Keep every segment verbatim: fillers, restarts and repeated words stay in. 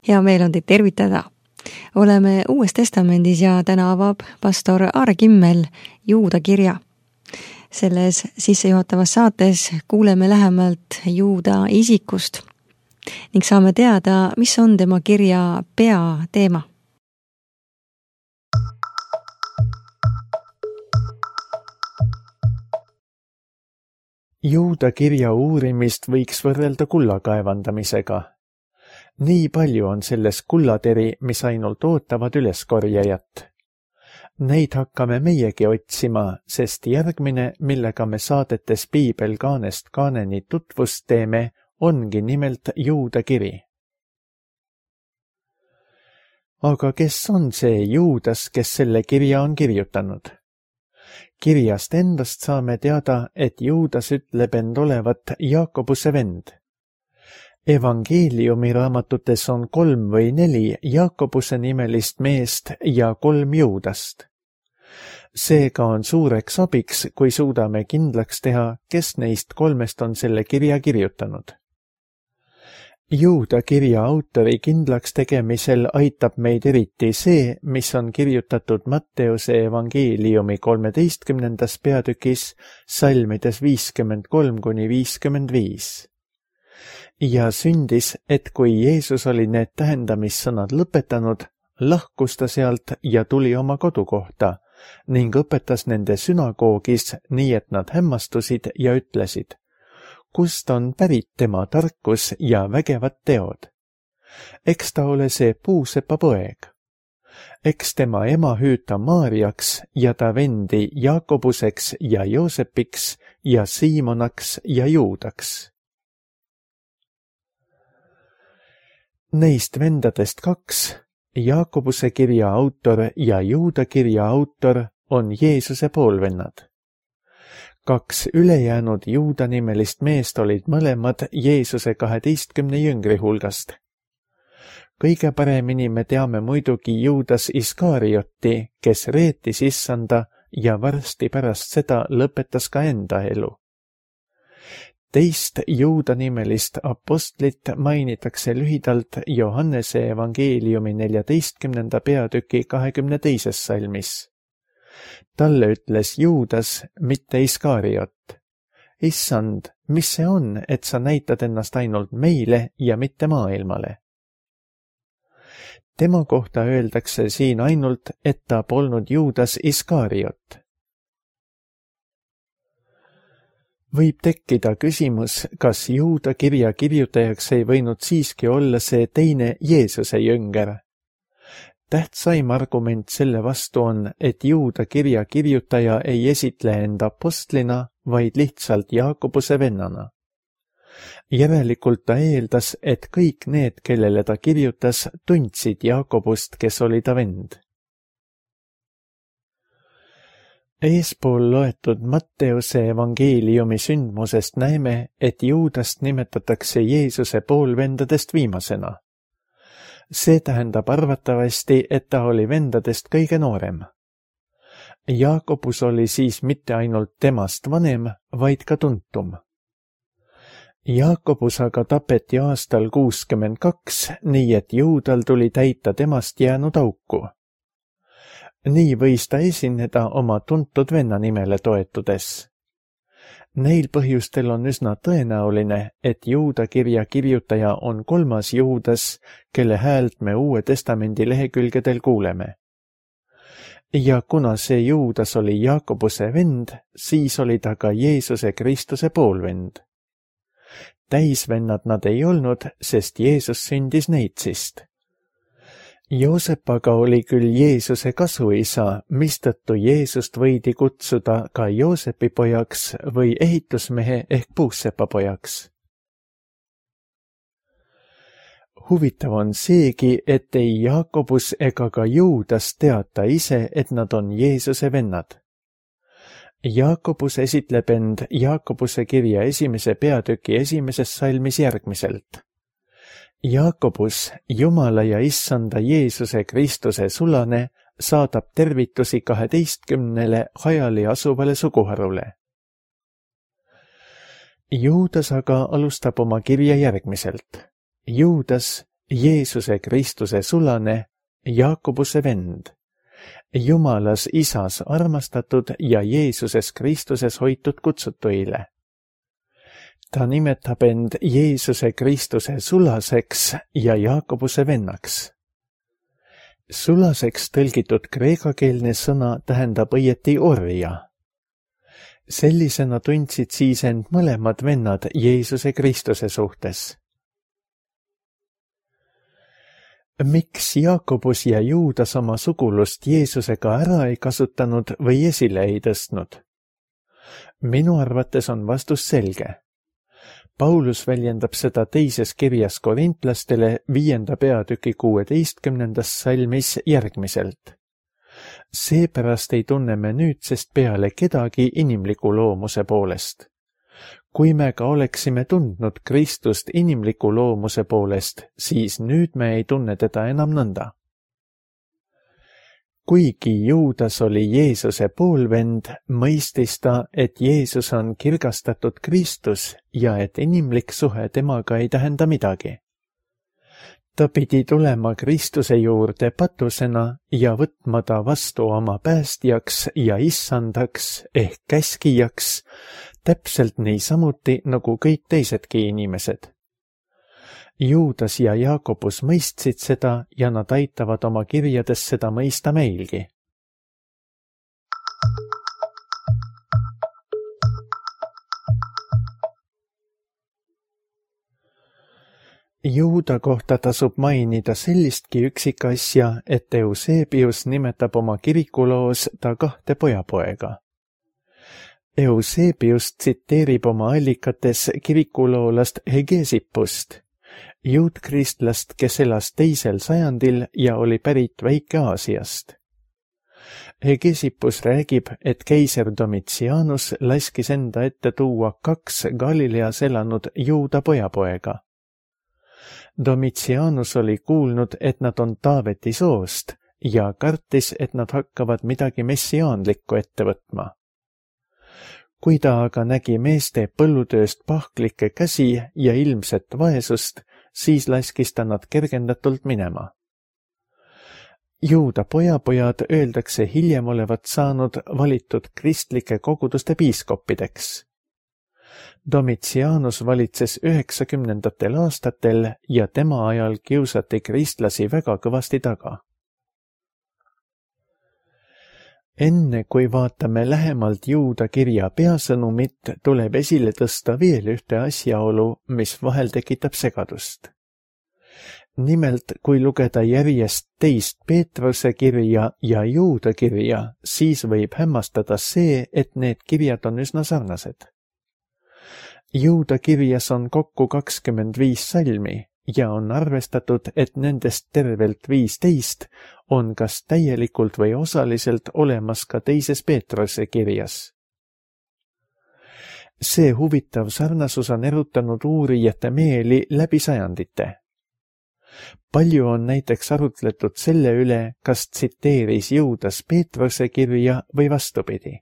Hea meel on teid tervitada. Oleme Uues Testamendis ja täna avab pastor Aare Kimmel Juuda kirja. Selles sissejuhatavas saates kuuleme lähemalt Juuda isikust ning saame teada, mis on tema kirja peateema. Juuda kirja uurimist võiks võrrelda kulla kaevandamisega. Nii palju on selles kullateri, mis ainult ootavad üleskorjajat. Neid hakkame meiegi otsima, sest järgmine, millega me saadetes Piibel kaanest kaaneni tutvust teeme, ongi nimelt Juuda kiri. Aga kes on see Juudas, kes selle kirja on kirjutanud? Kirjast endast saame teada, et Juudas ütleb end olevat Jaakobuse vend. Evangeeliumi raamatutes on kolm või neli Jaakobuse nimelist meest ja kolm Juudast. Seega on suureks abiks, kui suudame kindlaks teha, kes neist kolmest on selle kirja kirjutanud. Juuda kirja autori kindlaks tegemisel aitab meid eriti see, mis on kirjutatud Matteuse evangeeliumi kolmeteistkümnendas peatükis salmides viiskümmend kolm kuni viiskümmend viis. Ja sündis, et kui Jeesus oli need tähendamissõnad lõpetanud, lahkus ta sealt ja tuli oma kodukohta ning õpetas nende sünagoogis nii, et nad hämmastusid ja ütlesid, kust on pärit tema tarkus ja vägevad teod. Eks ta ole see puusepa poeg. Eks tema ema hüüta Maariaks ja ta vendi Jaakobuseks ja Joosepiks ja Siimonaks ja Juudaks. Neist vendadest kaks, Jaakobuse kirja autor ja Juuda kirja autor, on Jeesuse poolvennad. Kaks ülejäänud Juuda nimelist meest olid mõlemad Jeesuse kaheteistkümne jüngri hulgast. Kõige paremini me teame muidugi Juudas Iskaariotti, kes reetis issanda ja varsti pärast seda lõpetas ka enda elu. Teist Juuda nimelist apostlit mainitakse lühidalt Johannese evangeeliumi neljateistkümnenda peatüki kahekümne teises salmis. Talle ütles Juudas, mitte Iskaariot. Issand, mis see on, et sa näitad ennast ainult meile ja mitte maailmale? Tema kohta öeldakse siin ainult, et ta polnud Juudas Iskaariot. Võib tekkida küsimus, kas Juuda kirja kirjutajaks ei võinud siiski olla see teine Jeesuse jünger. Tähtsaim argument selle vastu on, et Juuda kirja kirjutaja ei esitle enda apostlina, vaid lihtsalt Jaakobuse vennana. Järelikult ta eeldas, et kõik need, kellele ta kirjutas, tundsid Jaakobust, kes oli ta vend. Eespool loetud Matteuse evangeeliumi sündmusest näeme, et Juudast nimetatakse Jeesuse poolvendadest viimasena. See tähendab arvatavasti, et ta oli vendadest kõige noorem. Jaakobus oli siis mitte ainult temast vanem, vaid ka tuntum. Jaakobus aga tapeti aastal kuuskümmend kaks, nii et Juudal tuli täita temast jäänud auku. Nii võis ta esineda oma tuntud venna nimele toetudes. Neil põhjustel on üsna tõenäoline, et Juuda kirja kirjutaja on kolmas Juudas, kelle häält me Uue Testamendi lehekülgedel kuuleme. Ja kuna see Juudas oli Jaakobuse vend, siis oli ta ka Jeesuse Kristuse poolvend. Täisvennad nad ei olnud, sest Jeesus sündis neitsist. Joosep aga oli küll Jeesuse kasuisa, mistõttu Jeesust võidi kutsuda ka Joosepi pojaks või ehitusmehe ehk puussepa pojaks. Huvitav on seegi, et ei Jaakobus ega ka Juudas teata ise, et nad on Jeesuse vennad. Jaakobus esitleb end Jaakobuse kirja esimese peatüki esimeses salmis järgmiselt. Jaakobus, Jumala ja issanda Jeesuse Kristuse sulane, saadab tervitusi kaheteistkümnele hajali asuvale suguharule. Juudas aga alustab oma kirja järgmiselt. Juudas, Jeesuse Kristuse sulane, Jaakobuse vend, Jumalas Isas armastatud ja Jeesuses Kristuses hoitud kutsutuile. Ta nimetab end Jeesuse Kristuse sulaseks ja Jaakobuse vennaks. Sulaseks tõlgitud kreekakeelne sõna tähendab õieti orja. Sellisena tundsid siis end mõlemad vennad Jeesuse Kristuse suhtes. Miks Jaakobus ja Juudas oma sugulust Jeesusega ära ei kasutanud või esile ei tõstnud? Minu arvates on vastus selge. Paulus väljendab seda teises kirjas korintlastele viienda peatüki kuueteistkümnendas salmis järgmiselt. Seepärast ei tunne me nüüdsest peale kedagi inimliku loomuse poolest. Kui me ka oleksime tundnud Kristust inimliku loomuse poolest, siis nüüd me ei tunne teda enam nõnda. Kuigi Juudas oli Jeesuse poolvend, mõistis ta, et Jeesus on kirgastatud Kristus ja et inimlik suhe temaga ei tähenda midagi. Ta pidi tulema Kristuse juurde patusena ja võtma ta vastu oma päästjaks ja issandaks ehk käskijaks, täpselt niisamuti nagu kõik teisedki inimesed. Juudas ja Jaakobus mõistsid seda ja nad aitavad oma kirjades seda mõista meilgi. Juuda kohta tasub mainida sellistki üksikasja, et Eusebius nimetab oma kirikuloos ta kahte pojapoega. Eusebius tsiteerib oma allikates kirikuloolast Hegesippust, juutkristlast, kes elas teisel sajandil ja oli pärit Väike-Aasiast. Hegesippus räägib, et keiser Domitianus laskis enda ette tuua kaks Galileas elanud Juuda pojapoega. Domitianus oli kuulnud, et nad on Taaveti soost ja kartis, et nad hakkavad midagi messiaanlikku ette võtma. Kui ta aga nägi meeste põllutööst pahklikke käsi ja ilmset vaesust, siis laskis ta nad kergendatult minema. Juuda pojapojad öeldakse hiljem olevat saanud valitud kristlike koguduste piiskoppideks. Domitianus valitses üheksakümnendatel aastatel ja tema ajal kiusati kristlasi väga kõvasti taga. Enne kui vaatame lähemalt Juuda kirja peasõnumit, tuleb esile tõsta veel ühte asjaolu, mis vahel tekitab segadust. Nimelt, kui lugeda järjest teist Peetruse kirja ja Juuda kirja, siis võib hämmastada see, et need kirjad on üsna sarnased. Juuda kirjas on kokku kakskümmend viis salmi ja on arvestatud, et nendest tervelt viisteist on kas täielikult või osaliselt olemas ka teises Peetruse kirjas. See huvitav sarnasus on erutanud uurijate meeli läbi sajandite. Palju on näiteks arutletud selle üle, kas tsiteeris Juudas Peetruse kirja või vastupidi.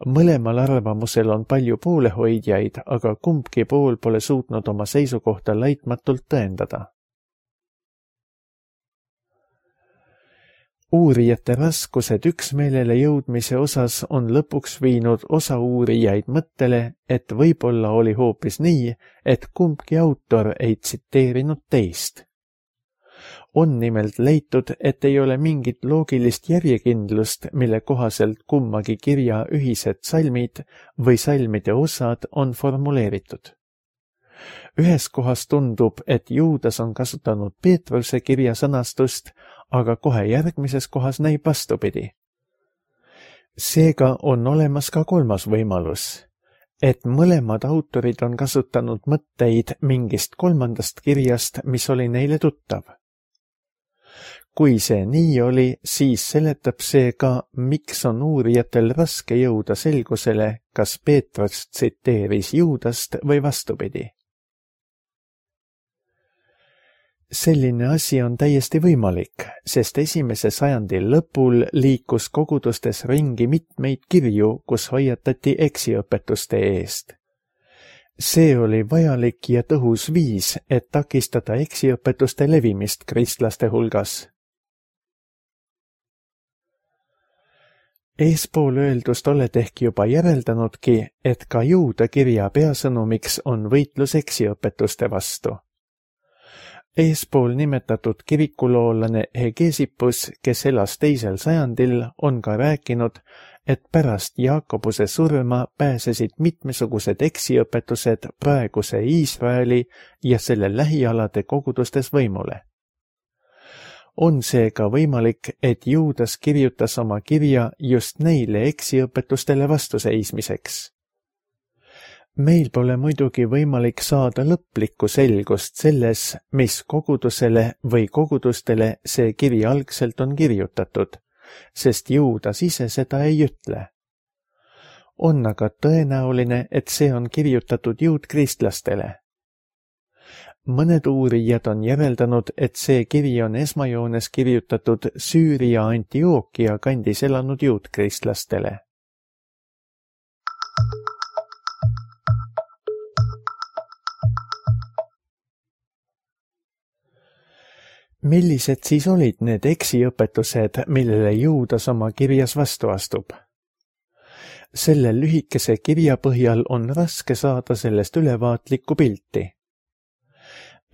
Mõlemal arvamusel on palju poolehoidjaid, aga kumbki pool pole suutnud oma seisukohta laitmatult tõendada. Uurijate raskused üksmeelele jõudmise osas on lõpuks viinud osa uurijaid mõttele, et võib-olla oli hoopis nii, et kumbki autor ei tsiteerinud teist. On nimelt leitud, et ei ole mingit loogilist järjekindlust, mille kohaselt kummagi kirja ühised salmid või salmide osad on formuleeritud. Ühes kohas tundub, et Juudas on kasutanud Peetruse kirja sõnastust, aga kohe järgmises kohas näib vastupidi. Seega on olemas ka kolmas võimalus, et mõlemad autorid on kasutanud mõtteid mingist kolmandast kirjast, mis oli neile tuttav. Kui see nii oli, siis seletab see ka, miks on uurijatel raske jõuda selgusele, kas Peetrus tsiteeris Juudast või vastupidi. Selline asi on täiesti võimalik, sest esimese sajandi lõpul liikus kogudustes ringi mitmeid kirju, kus hoiatati eksiõpetuste eest. see oli vajalik ja tõhus viis, et takistada eksiõpetuste levimist kristlaste hulgas. Eespool öeldust oled ehk juba järeldanudki, et ka Juuda kirja peasõnumiks on võitlus eksiõpetuste vastu. Eespool nimetatud kirikuloolane Hegesippus, kes elas teisel sajandil, on ka rääkinud, et pärast Jaakobuse surma pääsesid mitmesugused eksiõpetused praeguse Iisraeli ja selle lähialade kogudustes võimule. On seega võimalik, et Juudas kirjutas oma kirja just neile eksiõpetustele vastuseismiseks. Meil pole muidugi võimalik saada lõplikku selgust selles, mis kogudusele või kogudustele see kiri algselt on kirjutatud, sest Juudas ise seda ei ütle. On aga tõenäoline, et see on kirjutatud juutkristlastele. Mõned uurijad on järeldanud, et see kiri on esmajoones kirjutatud Süüria Antiookia kandis elanud juutkristlastele. Millised siis olid need eksiõpetused, millele Juudas oma kirjas vastu astub? Selle lühikese kirja põhjal on raske saada sellest ülevaatlikku pilti.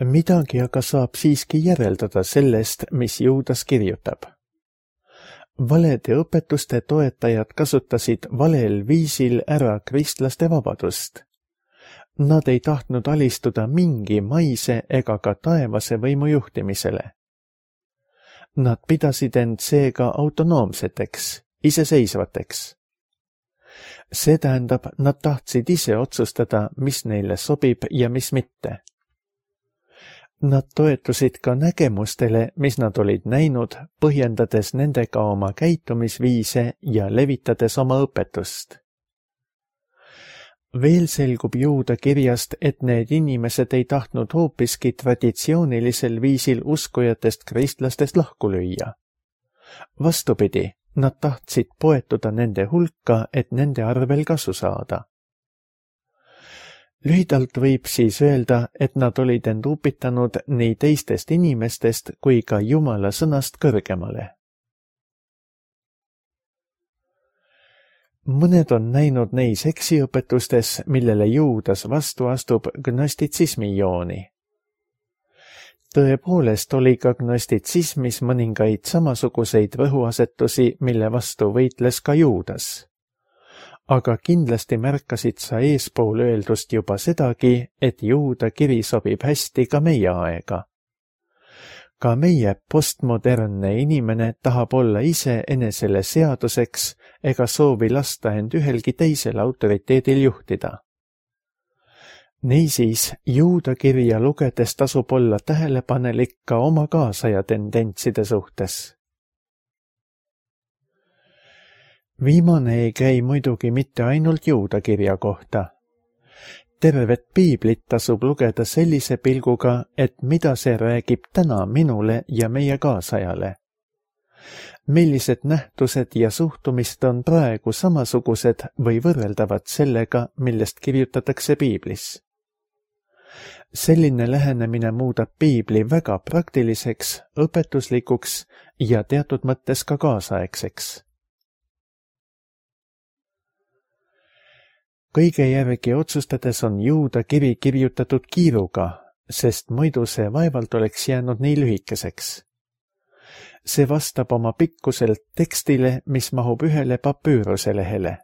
Midagi aga saab siiski järeldada sellest, mis Juudas kirjutab. Valede õpetuste toetajad kasutasid valel viisil ära kristlaste vabadust. Nad ei tahtnud alistuda mingi maise ega ka taevase võimu juhtimisele. Nad pidasid end seega autonoomseteks, iseseisvateks. See tähendab, nad tahtsid ise otsustada, mis neile sobib ja mis mitte. Nad toetusid ka nägemustele, mis nad olid näinud, põhjendades nendega oma käitumisviise ja levitades oma õpetust. Veel selgub Juuda kirjast, et need inimesed ei tahtnud hoopiski traditsioonilisel viisil uskujatest kristlastest lahku lüüa. Vastupidi, nad tahtsid poetuda nende hulka, et nende arvel kasu saada. Lühidalt võib siis öelda, et nad olid end upitanud nii teistest inimestest kui ka Jumala sõnast kõrgemale. Mõned on näinud neis eksiõpetustes, millele Juudas vastu astub, gnostitsismi jooni. Tõepoolest oli ka gnostitsismis mõningaid samasuguseid rõhuasetusi, mille vastu võitles ka Juudas. Aga kindlasti märkasid sa eespool öeldust juba sedagi, et Juuda kiri sobib hästi ka meie aega. Ka meie postmodernne inimene tahab olla ise enesele seaduseks ega soovi lasta end ühelgi teisel autoriteedil juhtida. Niisiis, Juuda kirja lugedes tasub olla tähelepanelik ka oma kaasaja tendentside suhtes. Viimane ei käi muidugi mitte ainult Juuda kirja kohta. Tervet piiblit tasub lugeda sellise pilguga, et mida see räägib täna minule ja meie kaasajale. Millised nähtused ja suhtumist on praegu samasugused või võrreldavad sellega, millest kirjutatakse piiblis. Selline lähenemine muudab piibli väga praktiliseks, õpetuslikuks ja teatud mõttes ka kaasaegseks. Kõige järgi otsustades on Juuda kiri kirjutatud kiiruga, sest muidu see vaevalt oleks jäänud nii lühikeseks. See vastab oma pikkuselt tekstile, mis mahub ühele papüüruse lehele.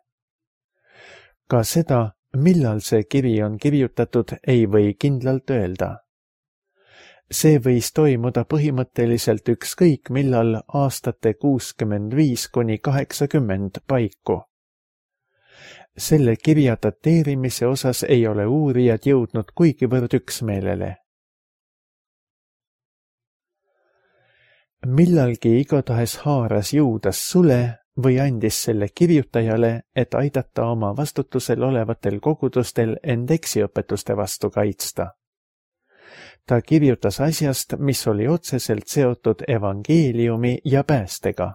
Ka seda, millal see kiri on kirjutatud, ei või kindlalt öelda. See võis toimuda põhimõtteliselt ükskõik millal aastate kuuskümmend viis kuni kaheksakümmend paiku. Selle kirja dateerimise osas ei ole uurijad jõudnud kuigivõrd üksmeelele. Millalgi igatahes haaras Juudas sule või andis selle kirjutajale, et aidata oma vastutusel olevatel kogudustel end eksiõpetuste vastu kaitsta. Ta kirjutas asjast, mis oli otseselt seotud evangeeliumi ja päästega.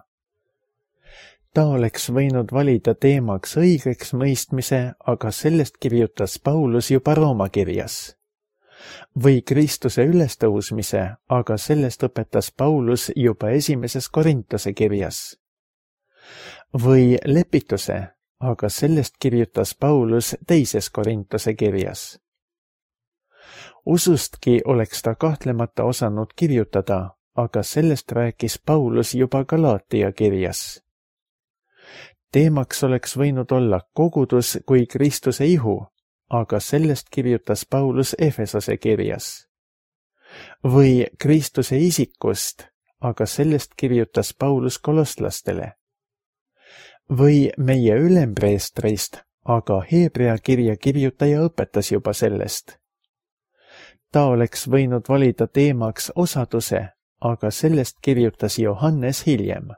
Ta oleks võinud valida teemaks õigeks mõistmise, aga sellest kirjutas Paulus juba Rooma kirjas. Või Kristuse ülestõusmise, aga sellest õpetas Paulus juba esimeses Korintuse kirjas. Või lepituse, aga sellest kirjutas Paulus teises Korintuse kirjas. Usustki oleks ta kahtlemata osanud kirjutada, aga sellest rääkis Paulus juba Galaatia kirjas. Teemaks oleks võinud olla kogudus kui Kristuse ihu, aga sellest kirjutas Paulus Efesose kirjas. Või Kristuse isikust, aga sellest kirjutas Paulus kolosslastele. Või meie ülempreestrist, aga Hebrea kirja kirjutaja õpetas juba sellest. Ta oleks võinud valida teemaks osaduse, aga sellest kirjutas Johannes hiljem.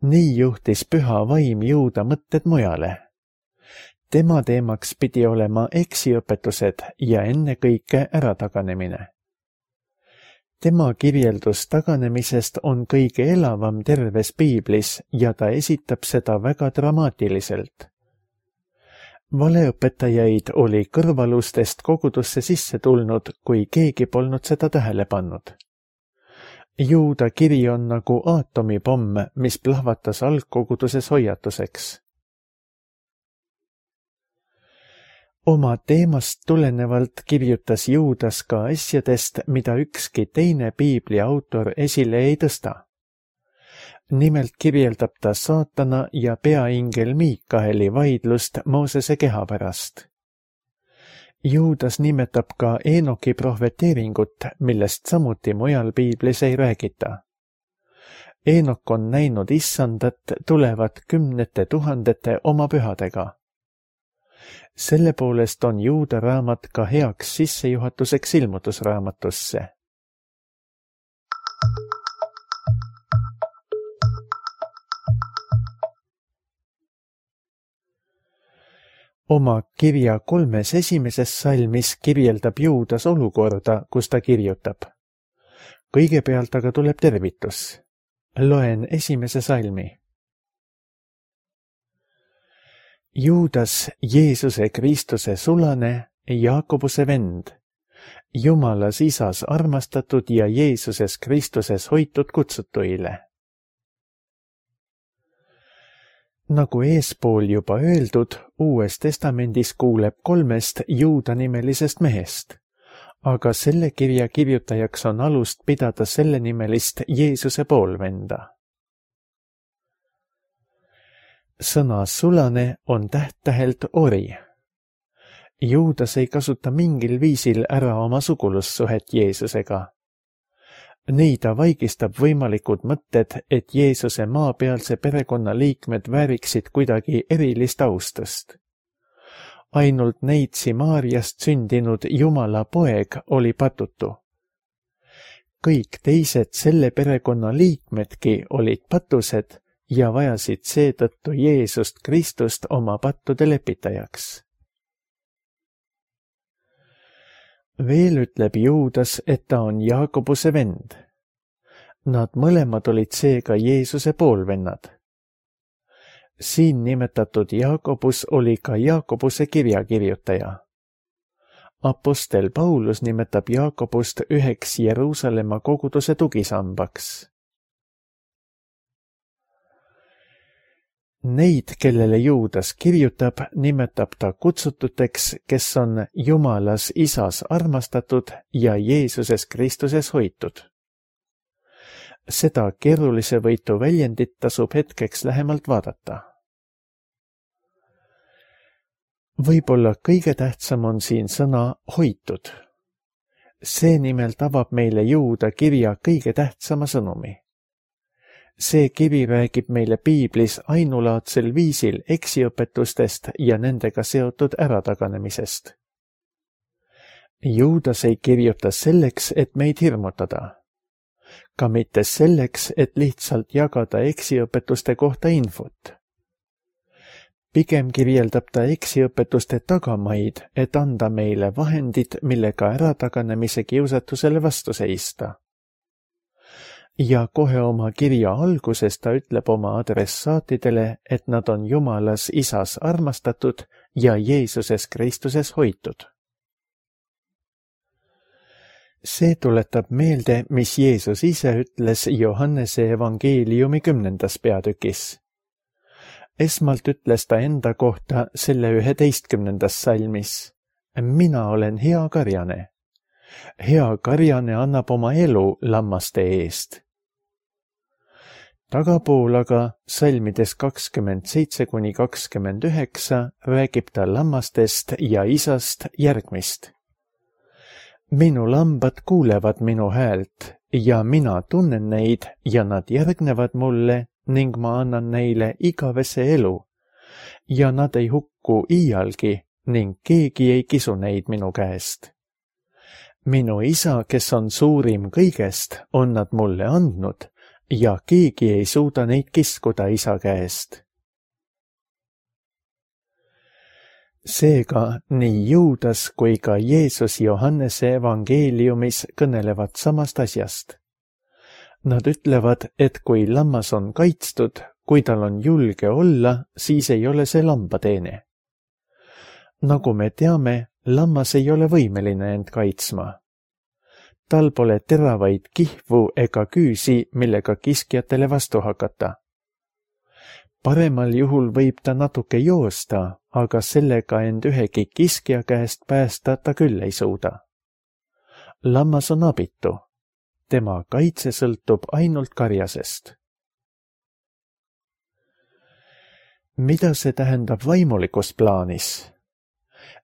Nii juhtis püha vaim Juuda mõtted mujale. Tema teemaks pidi olema eksiõpetused ja ennekõike ärataganemine. Tema kirjeldus taganemisest on kõige elavam terves piiblis ja ta esitab seda väga dramaatiliselt. Valeõpetajaid oli kõrvalustest kogudusse sisse tulnud, kui keegi polnud seda tähele pannud. Juuda kiri on nagu aatomipomm, mis plahvatas algkoguduses hoiatuseks. Oma teemast tulenevalt kirjutas Juudas ka asjadest, mida ükski teine piibli autor esile ei tõsta. Nimelt kirjeldab ta saatana ja peaingel Miikaeli vaidlust Moosese keha pärast. Juudas nimetab ka Eenoki prohveteeringut, millest samuti mujal piiblis ei räägita. Eenok on näinud issandat tulevat kümnete tuhandete oma pühadega. Selle poolest on Juuda raamat ka heaks sissejuhatuseks ilmutusraamatusse. Oma kirja kolmes esimeses salmis kirjeldab Juudas olukorda, kus ta kirjutab. Kõigepealt aga tuleb tervitus. Loen esimese salmi. Juudas, Jeesuse Kristuse sulane, Jaakobuse vend, Jumalas Isas armastatud ja Jeesuses Kristuses hoitud kutsutuile. Nagu eespool juba öeldud, Uues testamendis kuuleb kolmest Juuda nimelisest mehest, aga selle kirja kirjutajaks on alust pidada selle nimelist Jeesuse poolvenda. Sõna sulane on täht-tähelt ori. Juudas ei kasuta mingil viisil ära oma sugulussuhet Jeesusega. Nii ta vaigistab võimalikud mõtted, et Jeesuse maapealse perekonna liikmed vääriksid kuidagi erilist austust. Ainult neitsi Maarjast sündinud Jumala poeg oli patutu. Kõik teised selle perekonna liikmedki olid patused ja vajasid seetõttu Jeesust Kristust oma pattude lepitajaks. Veel ütleb Juudas, et ta on Jaakobuse vend. Nad mõlemad olid seega Jeesuse poolvennad. Siin nimetatud Jaakobus oli ka Jaakobuse kirjakirjutaja. Apostel Paulus nimetab Jaakobust üheks Jeruusalemma koguduse tugisambaks. Neid, kellele Juudas kirjutab, nimetab ta kutsututeks, kes on Jumalas Isas armastatud ja Jeesuses Kristuses hoitud. Seda keerulise võitu väljendit tasub hetkeks lähemalt vaadata. Võib-olla kõige tähtsam on siin sõna hoitud. See nimelt avab meile Juuda kirja kõige tähtsama sõnumi. See kiri räägib meile piiblis ainulaadsel viisil eksiõpetustest ja nendega seotud ärataganemisest. Juudas ei kirjuta selleks, et meid hirmutada. Ka mitte selleks, et lihtsalt jagada eksiõpetuste kohta infot. Pigem kirjeldab ta eksiõpetuste tagamaid, et anda meile vahendid, millega ärataganemise kiusatusele vastu seista. ja kohe oma kirja alguses ta ütleb oma adressaatidele, et nad on Jumalas Isas armastatud ja Jeesuses Kristuses hoitud. See tuletab meelde, mis Jeesus ise ütles Johannese evangeeliumi kümnendas peatükis. Esmalt ütles ta enda kohta selle üheteistkümnendas salmis: mina olen hea karjane. Hea karjane annab oma elu lammaste eest. Tagapool aga salmides kakskümmend seitse kuni kakskümmend üheksa räägib ta lammastest ja Isast järgmist. Minu lambad kuulevad minu häält ja mina tunnen neid ja nad järgnevad mulle ning ma annan neile igavese elu ja nad ei hukku iialgi ning keegi ei kisu neid minu käest. Minu Isa, kes on suurim kõigest, on nad mulle andnud ja keegi ei suuda neid kiskuda Isa käest. Seega nii Juudas kui ka Jeesus Johannese evangeeliumis kõnelevad samast asjast. Nad ütlevad, et kui lammas on kaitstud, kui tal on julge olla, siis ei ole see lambateene. Nagu me teame, lammas ei ole võimeline end kaitsma. Tal pole teravaid kihvu ega küüsi, millega kiskjatele vastu hakata. Paremal juhul võib ta natuke joosta, aga sellega end ühegi kiskja käest päästa ta küll ei suuda. Lammas on abitu. Tema kaitse sõltub ainult karjasest. Mida see tähendab vaimulikus plaanis?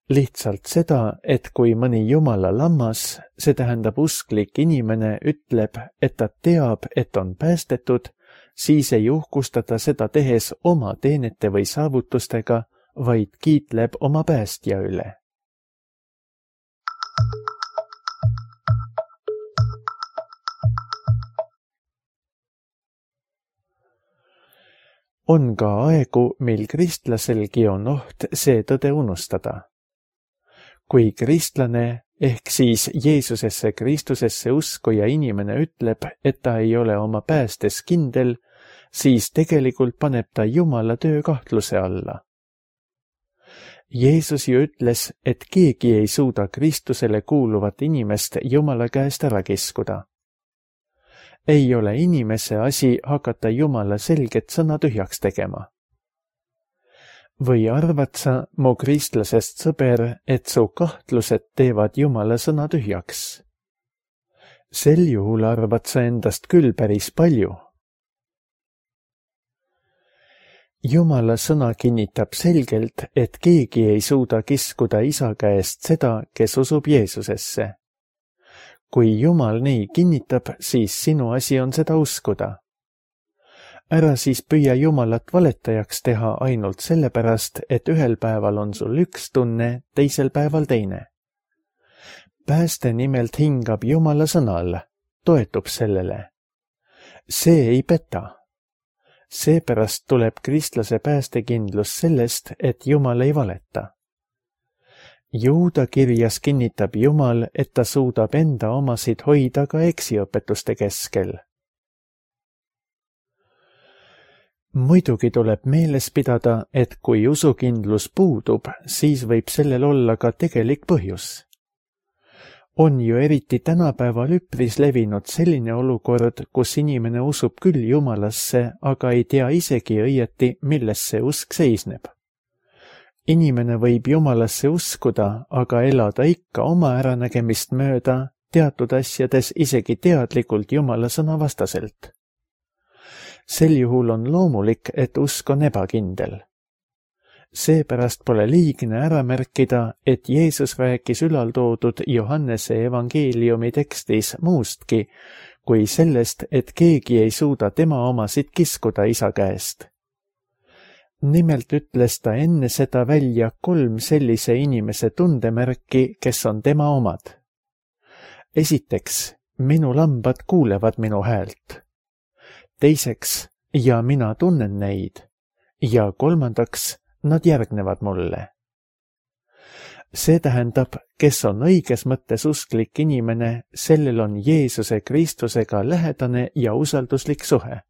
Lihtsalt seda, et kui mõni Jumala lammas, see tähendab usklik inimene, ütleb, et ta teab, et on päästetud, siis ei uhkusta ta seda tehes oma teenete või saavutustega, vaid kiitleb oma päästja üle. On ka aegu, mil kristlaselgi on oht see tõde unustada. Kui kristlane ehk siis Jeesusesse Kristusesse uskuja inimene ütleb, et ta ei ole oma päästes kindel, siis tegelikult paneb ta Jumala töö kahtluse alla. Jeesus ju ütles, et keegi ei suuda Kristusele kuuluvat inimest Jumala käest ära kiskuda. Ei ole inimese asi hakata Jumala selget sõna tühjaks tegema. Või arvad sa, mu kristlasest sõber, et su kahtlused teevad Jumala sõna tühjaks? Sel juhul arvad sa endast küll päris palju. Jumala sõna kinnitab selgelt, et keegi ei suuda kiskuda Isa käest seda, kes usub Jeesusesse. Kui Jumal nii kinnitab, siis sinu asi on seda uskuda. Ära siis püüa Jumalat valetajaks teha ainult sellepärast, et ühel päeval on sul üks tunne, teisel päeval teine. Pääste nimelt hingab Jumala sõnal, toetub sellele. See ei peta. Seepärast tuleb kristlase päästekindlus sellest, et Jumal ei valeta. Juuda kirjas kinnitab Jumal, et ta suudab enda omasid hoida ka eksiõpetuste keskel. Muidugi tuleb meeles pidada, et kui usukindlus puudub, siis võib sellel olla ka tegelik põhjus. On ju eriti tänapäeval üpris levinud selline olukord, kus inimene usub küll Jumalasse, aga ei tea isegi õieti, milles see usk seisneb. Inimene võib Jumalasse uskuda, aga elada ikka oma äranägemist mööda, teatud asjades isegi teadlikult Jumala sõna vastaselt. Sel juhul on loomulik, et usk on ebakindel. Seepärast pole liigne ära märkida, et Jeesus rääkis ülaltoodud Johannese evangeeliumi tekstis muustki, kui sellest, et keegi ei suuda tema omasid kiskuda Isa käest. Nimelt ütles ta enne seda välja kolm sellise inimese tundemärki, kes on tema omad. Esiteks, minu lambad kuulevad minu häält. Teiseks, ja mina tunnen neid. Ja kolmandaks, nad järgnevad mulle. See tähendab, kes on õiges mõttes usklik inimene, sellel on Jeesuse Kristusega lähedane ja usalduslik suhe.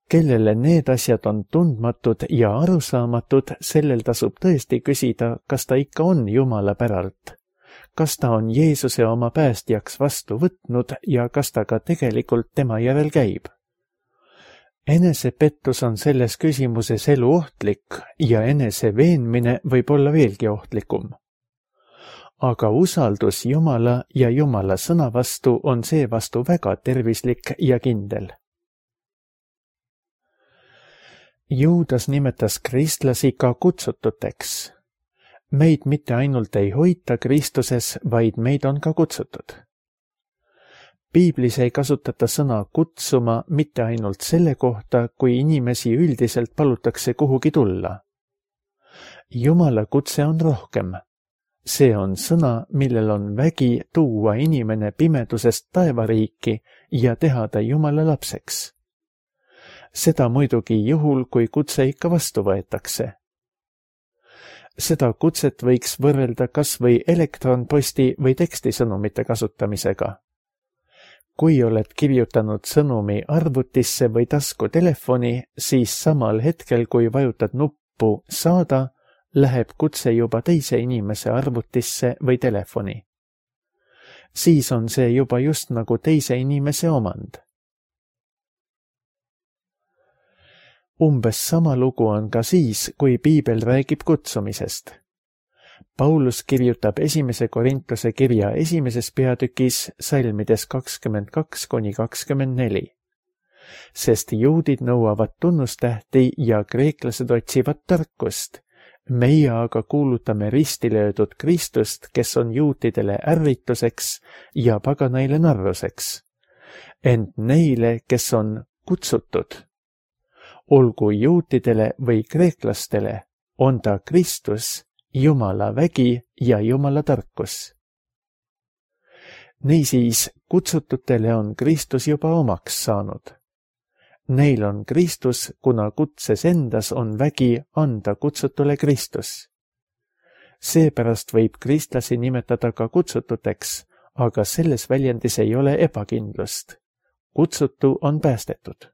Kellele need asjad on tundmatud ja arusaamatud, sellel tasub tõesti küsida, kas ta ikka on Jumala päralt, kas ta on Jeesuse oma päästjaks vastu võtnud ja kas ta ka tegelikult tema järel käib. Enesepettus on selles küsimuses elu ohtlik ja enese veenmine võib olla veelgi ohtlikum. Aga usaldus Jumala ja Jumala sõna vastu on seevastu väga tervislik ja kindel. Juudas nimetas kristlasi ka kutsututeks. Meid mitte ainult ei hoita Kristuses, vaid meid on ka kutsutud. Piiblis ei kasutata sõna kutsuma mitte ainult selle kohta, kui inimesi üldiselt palutakse kuhugi tulla. Jumala kutse on rohkem. See on sõna, millel on vägi tuua inimene pimedusest taevariiki ja teha ta Jumala lapseks. Seda muidugi juhul, kui kutse ikka vastu võetakse. Seda kutset võiks võrrelda kas või elektronposti või tekstisõnumite kasutamisega. Kui oled kirjutanud sõnumi arvutisse või taskutelefoni, siis samal hetkel, kui vajutad nuppu saada, läheb kutse juba teise inimese arvutisse või telefoni. Siis on see juba just nagu teise inimese omand. Umbes sama lugu on ka siis, kui Piibel räägib kutsumisest. Paulus kirjutab esimese Korintuse kirja esimeses peatükis salmides kakskümmend kaks kuni kakskümmend neli. Sest juudid nõuavad tunnustähti ja kreeklased otsivad tarkust. Meie aga kuulutame ristilöödud Kristust, kes on juutidele ärrituseks ja paganaile narruseks. Ent neile, kes on kutsutud, olgu juutidele või kreeklastele, on ta Kristus, Jumala vägi ja Jumala tarkus. Niisiis, kutsututele on Kristus juba omaks saanud. Neil on Kristus, kuna kutses endas on vägi anda kutsutule Kristus. Seepärast võib kristlasi nimetada ka kutsututeks, aga selles väljendis ei ole ebakindlust. Kutsutu on päästetud.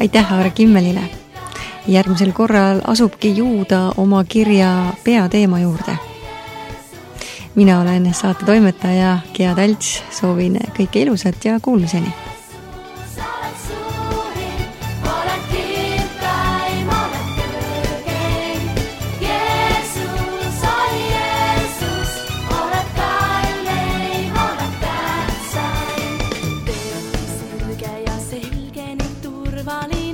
Aitäh Aare Kimmelile. Järgmisel korral asubki Juuda oma kirja peateema juurde. Mina olen saate toimetaja Gea Talts, soovin kõike ilusat ja kuulmiseni. Turvaline